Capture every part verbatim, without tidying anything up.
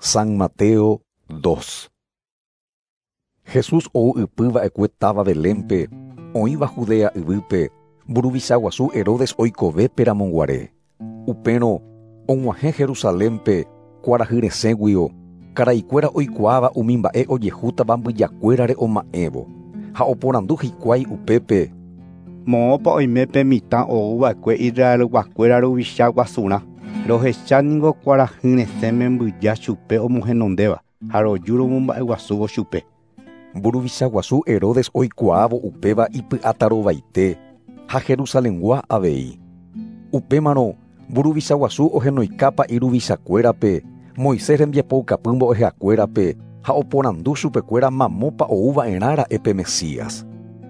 San Mateo dos. Jesús ou ypy va'ekue táva Belénpe, oĩva Judea yvýpe, mburuvicha guasu Herodes oikovépe ramoguare. Upérõ og̃uahẽ Jerusalénpe kuarahy resẽguio, karaikuéra oikuaáva umi mba'e ojehútava mbyjakuérare oma'ẽvo, ha oporandu hikuái upépe. Moõpa oime pe mitã ouva'ekue Israelguakuéra ruvicha guasurã. Rohecha ningo kuarahy resẽme mbyja chupe omohenondéva ha roju romomba'eguasúvo chupe. Mburuvicha guasu Herodes oikuaávo upéva ipy'atarovaite ha Jerusalengua avei. Upémarõ mburuvicha guasu ohenoikápa iruvichakuérape, Moisés rembiapoukapy mbo'ehakuérape ha oporandu chupekuéra mamópa ouva'erã pe Mesías.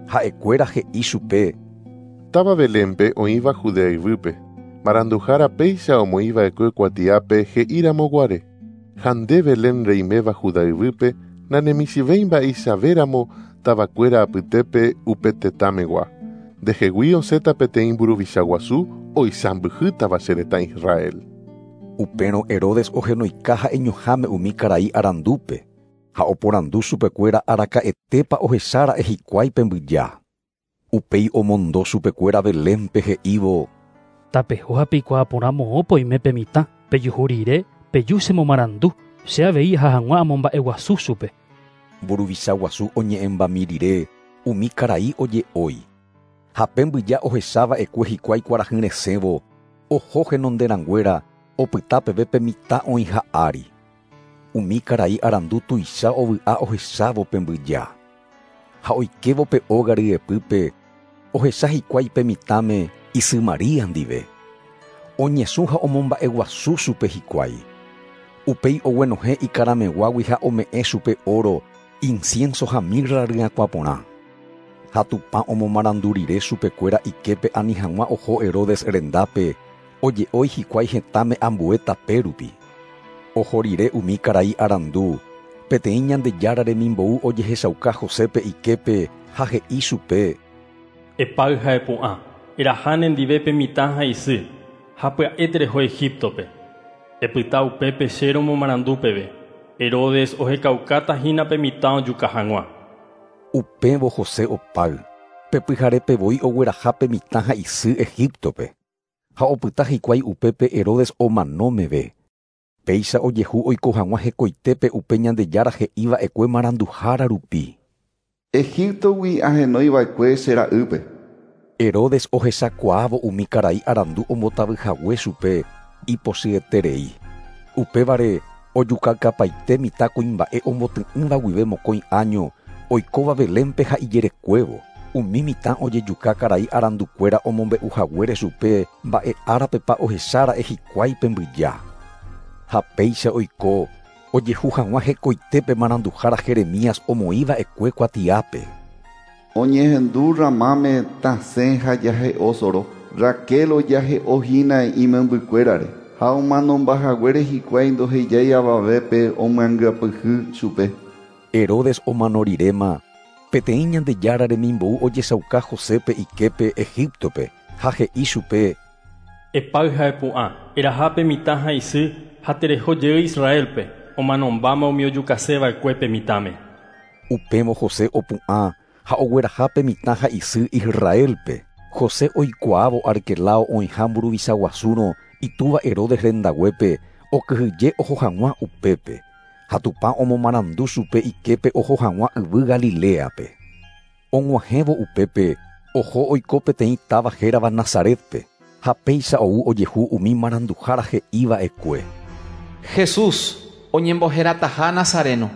Ha'ekuéra he'i chupe. Táva Belénpe oĩva Judea yvýpe. Maranduhára péicha omoĩva'ekue kuatiápe he'íramoguare. Ha nde Belén reiméva Judá yvýpe nanemisivéi mba'eichavéramo tavakuéra apytépe upe tetãmegua. Ndehegui osẽta peteĩ mburuvicha guasu oisãmbyhýtava che retã Israel. Upérõ Herodes ohenoika ha'eñoháme umi karai arandúpe ha oporandu chupekuéra araka'etépa ohechára'e hikuái pe mbyja. Upéi omondo chupekuéra Belénpe he'ívo. Tapeho ha peikuaa porã moõpa oime pe mitã, pejuhu rire, peju chemomarandu, che avei ha hag̃ua amomba'eguasu chupe. Mburuvicha guasu oñe'ẽmbami rire, umi karai oje'ói. Ha pe mbyja ohechava'ekue hikuái kuarahy resẽvo, oho henonderãnguéra opyta peve pe mitã oĩha ári. Umi karai arandu tuicha ovy'a ohechávo pe mbyja. Ha oikévo pe óga ryepýpe, ohecha hikuái pe mitãme isy María ndive. Oñesũ ha omomba'eguasu chupe hikuái. Upéi oguenohẽ ikarameguágui ha ome'ẽ chupe oro, incienso ha mirra ryakuã porã. Ha Tupã omomarandu rire chupekuéra iképe ani hag̃ua oho Herodes rendápe, oje'ói hikuái hetãme ambue tape rupi. Oho rire umi karai arandu, peteĩ Ñandejára remimbou ojehechauka Josépe iképe ha he'i chupe. Epáy ha epu'ã, eraha nendive pe mitã ha isy, ha pya'e tereho Egiptope. Epyta upépe che romomarandu peve. Herodes ohekaukáta hína pe mitã ojuka hag̃ua. Upévo José opáy, pe pyharépe voi ogueraha pe mitã ha isy Egiptope. Ha opyta hikuái upépe Herodes omano meve. Péicha ojehu oiko hag̃ua hekoitépe upe Ñandejára he'iva'ekue maranduhára rupi. Egiptogui ahenoiva'ekue che ra'ýpe. Herodes ohechakuaávo umi karai arandu ombotavyhague chupe ipochyeterei. Upévare ojukakapaite mitã kuimba'e omboty'ỹva guive mokõi año oikóva Belénpe ha ijerekuévo. Umi mitã ojejuka karai arandukuéra omombe'uhaguére chupe mba'e árapepa ohechára'e hikuái pe mbyja. Ha péicha oiko ojehu hag̃ua hekoitépe maranduhára Jeremías omoĩva'ekue kuatiápe. Oñehendu ramáme tasẽ ha jahe'o soro. Raquel ojahe'ohína imembykuérare ha omanombahaguére hikuái ndohejái avavépe omyangapyhy chupe. Herodes omano riréma, peteĩ Ñandejára remimbou ojechauka Josépe iképe Egiptope ha he'i chupe. Epáy ha epu'ã, eraha pe mitã ha isy ha tereho jey Israelpe, omanombáma umi ojukaseva'ekue pe mitãme. Upévo José opu'ã ha ogueraha pe mitã ha isy Israelpe. José oikuaávo Arquelao oĩha mburuvicha guasúrõ itúva Herodes rendaguépe okyhyje oho hag̃ua upépe. Ha Tupã omomarandu chupe iképe oho hag̃ua yvy Galileape. Og̃uahẽvo upépe oho oiko peteĩ táva hérava Nazaretpe ha péicha ou ojehu umi maranduhára he'iva'ekue. Jesús oñemboherataha Nazareno.